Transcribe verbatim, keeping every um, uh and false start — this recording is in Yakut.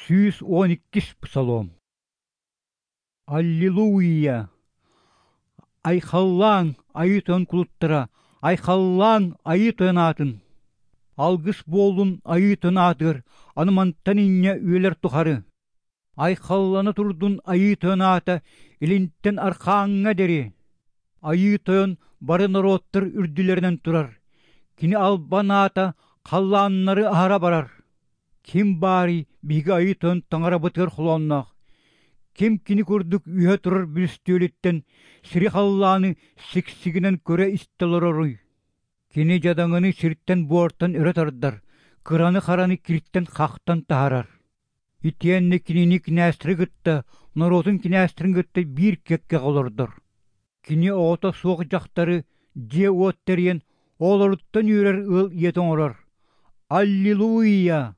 Сүүс уон иккис псалом. Аллилуйя! Айхаллааҥ, Айыы Тойон кулуттара, айхаллааҥ Айыы Тойон аатын! Алгыс буоллун Айыы Тойон аатыгар аны мантан инньэ үйэлэр тухары. Айхаллана турдун Айыы Тойон аата илинтэн архааҥҥа диэри. Айыы Тойон бары норуоттар үрдүлэринэн турар, Кини албан аата халлааннары аһара барар. Ким баарый биһиги Айыы Тойон Таҥарабытыгар холоонноох? Ким кини курдук үөһэ турар бүрүстүөлүттэн сири-халлааны сиксигинэн көрө-истэ олороруй? Кини дьадаҥыны сиртэн-буортан өрө тардар, кыраны-хараны киртэн-хахтан таһаарар. Итиэннэ кинини кинээстэри кытта, норуотун кинээстэрин кытта биир кэккэҕэ олордор. Кини оҕото суох дьахтары дьиэ-уот тэрийэн, оҕолоруттан үөрэр ыал ийэтэ оҥорор. Аллилуйя!